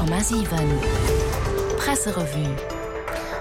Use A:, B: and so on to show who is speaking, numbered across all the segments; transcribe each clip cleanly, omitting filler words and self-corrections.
A: 100,7 Presserevue.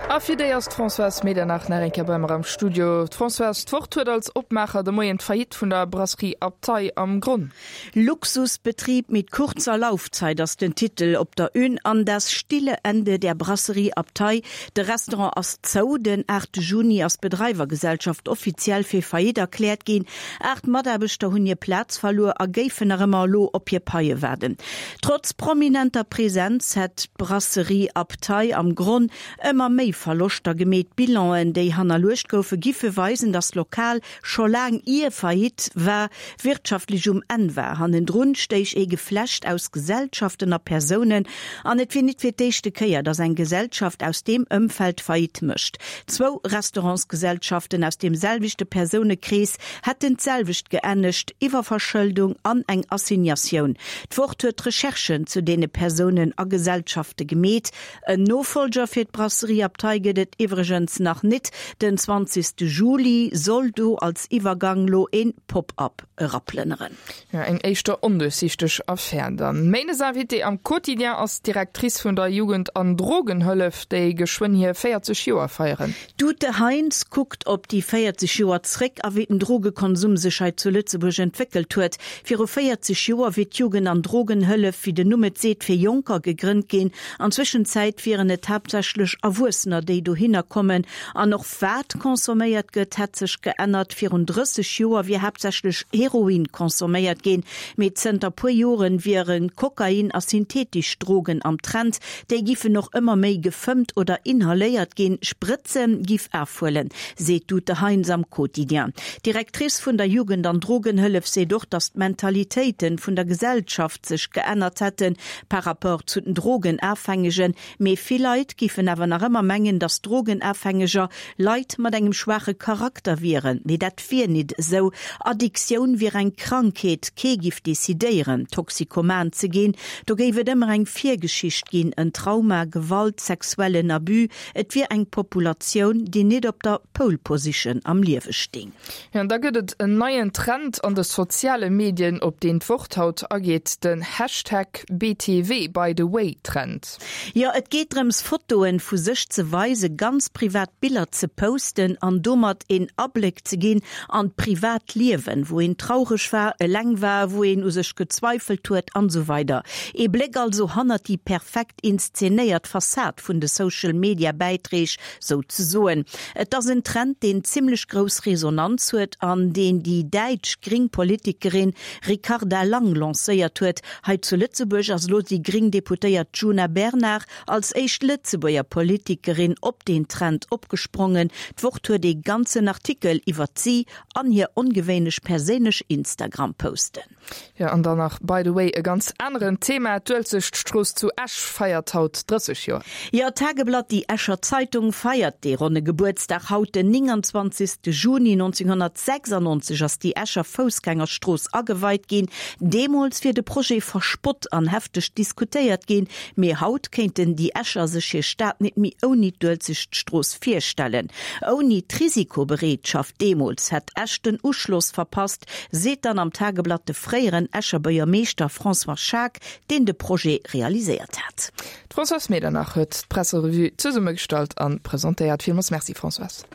B: A fir déi ass d'Françoise Medernach nach eng Kéier bei mer am Studio. D'Françoise, d'Wort huet als Opmaacher de Moien d'Faillite vun der Brasserie Abtei am Gronn.
C: Luxusbetrieb mit kurzer Laufzeit ass den Titel op der Une an Das stille Ende der Brasserie Abtei. De Restaurant ass zou. Den 8 Juni ass d'Bedreiwergesellschaft offiziell fir Faillite erkläert ginn. 8 Mataarbechter hunn hir Plaz verluer a géifen nach ëmmer elo op hir Paie waarden. Trotz prominenter Presenz hätt d'Brasserie Abtei am Gronn ëmmer méi Verloschter gemeet. D'Bilanen, déi hannerluecht goufe, giffe weisen, datt d'Lokal scho laang ier Faillite war, wirtschaftlech um Enn war. Hannendrun stéich ee Geflecht aus Gesellschaften a Persounen an et wier nit fir d'éischte Kéier, datt eng Gesellschaft aus deem Ëmfeld Faillite mécht. Zwou Restaurantsgesellschaften aus deem selwechte Persounekrees hätten d'selwecht geennegt, Iwwerverschëldung an eng Assignatioun. D'Wort huet Recherchen zu deene Persounen a Gesellschafte gemeet. En Nofollger fir d'Brasserie Abtei gëtt et iwwregens nach nit. Den 20 Juli soll do als Iwwergang lo een Pop-Up eraplënneren.
B: Jo, eng éischter onduerchsichteg Affär dann. Méindes Invitée am Quotidien ass d'Directrice vun der Jugend an Drogenhëllef, déi geschwënn hir 40 Joer feieren.
C: D'Ute Heinz kuckt op déi 40 Joer zréck a wéi den Drogekonsum sech hei zu Lëtzebuerg entwéckelt huet. Viru 40 Joer wier d'Jugend an Drogenhëllef, wéi den Numm et seet, fir Jonker gegrënnt ginn. An Zwëschenzäit wieren et haaptsächlech Erwuessener, déi dohinner kommen. An och wat consomméiert gëtt, hätt sech geännert. Virun 30 Joer wier haaptsächlech Heroin consomméiert ginn, mee zënter puer Joren wiere Kokain a synthetesch Drogen am Trend. Déi giffen och ëmmer méi gefëmmt oder inhaléiert ginn. Sprëtze giff afhuelen, seet d'Ute Heinz am Quotidien. D'Directrice vun der Jugend an Drogenhëllef seet och, datt d'Mentalitéite vun der Gesellschaft sech geännert hätten par rapport zu den Drogenafhängegen. Mee vill Leit giffen awer nach ëmmer mengen, datt Drogenafhängeger Leit mat engem schwaache Charakter wieren. Mee dat wier nit esou. Addiktioun wier eng Krankheet, kee giff decidéieren, toxikoman ze ginn. Do géif et ëmmer eng Virgeschicht ginn, en Trauma, Gewalt, sexuellen Abus. Et wier eng Populatioun, déi nit op der Pole Position am Liewe sting.
B: Jo, an da gëtt et en neien Trend an de soziale Medien, op deen d'Wort haut ageet, den Hashtag BTW, by the way Trend.
C: Jo, et geet drëms Fotoen vu sech ze weisen, ganz privat Biller ze posten an domat een Abléck ze ginn an d'privat Liewen, wou een traureg war, eleng war, wou een u sech gezweifelt huet an esou weider. Ee Bléck also hannert déi perfekt inszenéiert Fassad vun de Social Media Bäitreeg sou ze soen. Et ass en Trend, deen zimmlech grouss Resonanz huet an deen déi däitsch gring Politikerin Ricarda Lang lancéiert huet. Hei zu Lëtzebuerg ass elo déi gring Deputéiert Djuna Bernard als éischt Lëtzebuerger Politikerin op deen Trend opgesprongen. D'Wort huet ee ganzen Artikel iwwert si an hir ongewéinlech perséinlech Instagram-Posten.
B: Jo, an dann nach, by the way, e ganz aneren Thema, D'Uelzechtstrooss zu Esch feiert haut 30 Joer.
C: Jo, d'Tageblatt, déi Escher Zeitung, feiert dee ronne Gebuertsdag haut. Den 29. Juni 1996 ass déi Escher Foussgängerstrooss ageweit ginn. Deemools wier de Projet verspott an hefteg diskutéiert ginn, mee haut kéinten déi Escher sech hir Stad nit méi ouni d'Uelzechtstrooss virstellen. Ouni d'Risikobereetschaft deemools hätt Esch den Uschloss verpasst, seet dann am Tageblatt de fréieren Escher Buergermeeschter François Schaack, deen de Projet realiséiert hat.
B: D'Françoise Medernach huet d'Presserevue zesummegestallt an presentéiert. Villmools Merci Françoise.